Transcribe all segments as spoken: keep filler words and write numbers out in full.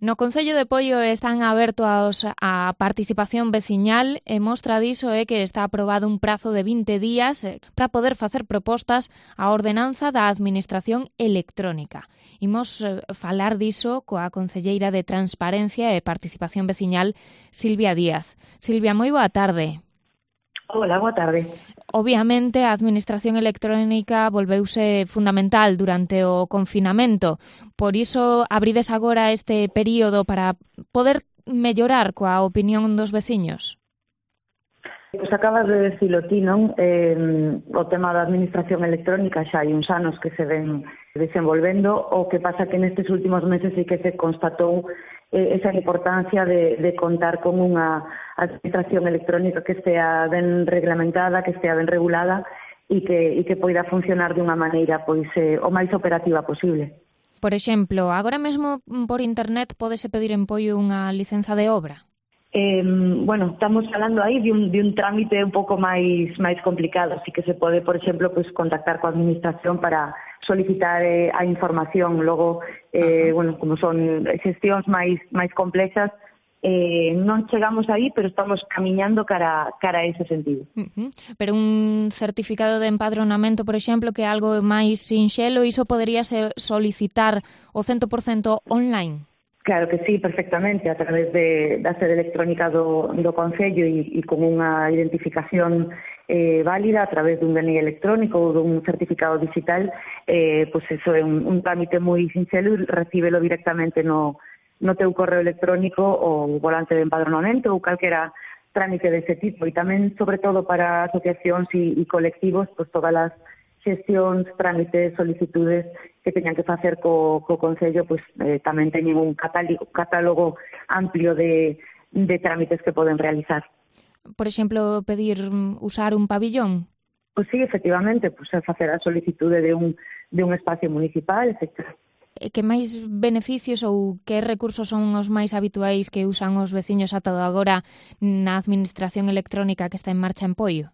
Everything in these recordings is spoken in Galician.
No Concello de Poio están abertos a participación veciñal e mostra diso é que está aprobado un prazo de vinte días para poder facer propostas á ordenanza da Administración Electrónica. Imos falar diso coa concelleira de Transparencia e Participación Veciñal, Silvia Díaz. Silvia, moi boa tarde. Hola, boa tarde. Obviamente, a Administración Electrónica volveuse fundamental durante o confinamento. Por iso, abrides agora este período para poder mellorar coa opinión dos veciños? Pois acabas de decilo ti, non? Eh, o tema da Administración Electrónica xa hai uns anos que se ven desenvolvendo, o que pasa que nestes últimos meses sí que se constatou eh, esa importancia de, de contar con unha administración electrónica que estea ben reglamentada, que estea ben regulada e que, e que poida funcionar dunha maneira pois eh, o máis operativa posible. Por exemplo, agora mesmo por internet pódese pedir en Poio unha licenza de obra? Eh, bueno, estamos falando aí de un, de un trámite un pouco máis máis complicado, así que se pode, por exemplo, pues, contactar coa administración para solicitar eh, a información. Logo, eh, bueno, como son xestións máis máis complexas, eh, non chegamos aí, pero estamos camiñando cara, cara a ese sentido. Uh-huh. Pero un certificado de empadronamento, por exemplo, que é algo máis sinxelo, iso poderíase solicitar o cento por cento online? Claro que sí, perfectamente, a través de, da sede electrónica do, do Concello e, e con unha identificación eh, válida a través dun D N I electrónico ou dun certificado digital, eh, pois pues eso é un, un trámite moi sinxelo e recíbelo directamente no, no teu correo electrónico ou volante de empadronamento ou calquera trámite dese tipo. E tamén, sobre todo, para asociacións e, e colectivos, pois pues todas as xestións, trámites, solicitudes que teñan que facer co, co Concello, pois eh, tamén teñen un catálogo, catálogo amplio de, de trámites que poden realizar. Por exemplo, pedir usar un pabillón? Pois sí, efectivamente, pois facer a solicitude de un, de un espacio municipal, etcétera. Que máis beneficios ou que recursos son os máis habituais que usan os veciños ata agora na administración electrónica que está en marcha en Poio?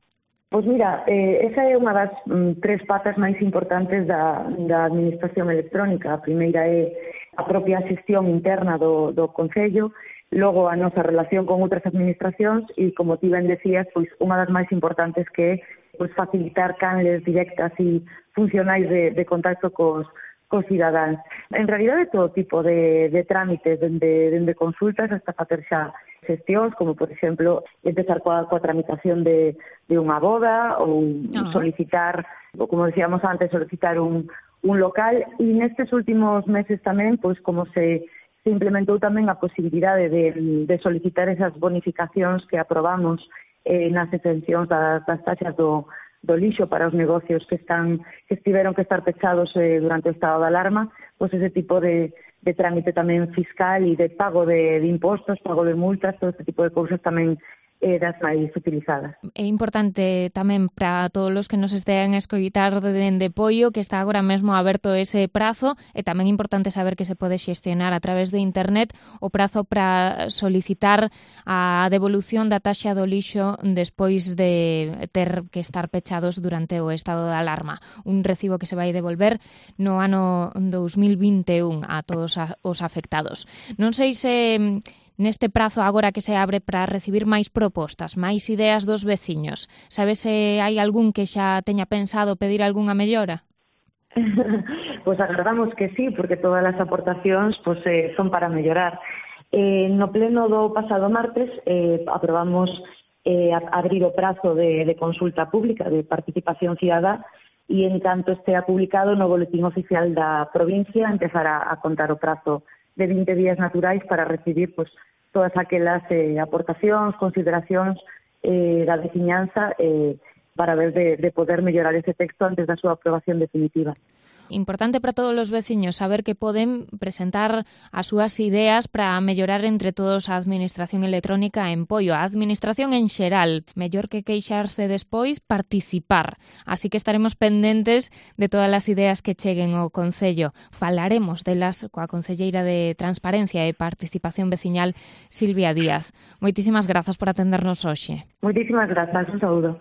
Pois mira, eh, esa é unha das mm, tres patas máis importantes da, da administración electrónica. A primeira é a propia xestión interna do, do Concello, logo a nosa relación con outras administracións e, como ti ben decías, pois unha das máis importantes que é pois, facilitar canles directas e funcionais de, de contacto cos, cos cidadáns. En realidade, todo tipo de, de trámites, dende, dende consultas hasta facer xa xestións, como, por exemplo, empezar coa, coa tramitación de, de unha boda ou uh-huh. solicitar, ou como decíamos antes, solicitar un, un local. E nestes últimos meses tamén, pois como se, se implementou tamén a posibilidade de, de solicitar esas bonificacións que aprobamos eh, nas exencións das, das taxas do, do lixo para os negocios que están que estiveron que estar pechados eh, durante o estado de alarma, pois ese tipo de de trámite tamén fiscal e de pago de, de impostos, pago de multas, todo este tipo de cousas tamén eh, das máis utilizadas. É importante tamén para todos os que nos estean a escoitar dende Poio que está agora mesmo aberto ese prazo e tamén importante saber que se pode xestionar a través de internet o prazo para solicitar a devolución da taxa do lixo despois de ter que estar pechados durante o estado de alarma. Un recibo que se vai devolver no ano dous mil vinte e un a todos os afectados. Non sei se neste prazo agora que se abre para recibir máis propostas, máis ideas dos veciños, sabes se hai algún que xa teña pensado pedir algunha mellora? Pois agardamos que sí, porque todas as aportacións pois, eh, son para mellorar. Eh, no pleno do pasado martes eh, aprobamos eh, abrir o prazo de, de consulta pública, de participación cidadá, e en canto estea publicado no boletín oficial da provincia empezará a contar o prazo de vinte días naturais para recibir pois, todas aquelas eh, aportacións, consideracións eh, da veciñanza eh, para ver de, de poder mellorar ese texto antes da súa aprobación definitiva. Importante para todos os veciños saber que poden presentar as súas ideas para mellorar entre todos a administración electrónica en Poio. A administración en xeral, mellor que queixarse despois, participar. Así que estaremos pendentes de todas as ideas que cheguen ao Concello. Falaremos delas coa concelleira de Transparencia e Participación Veciñal, Silvia Díaz. Moitísimas grazas por atendernos hoxe. Moitísimas grazas, un saúdo.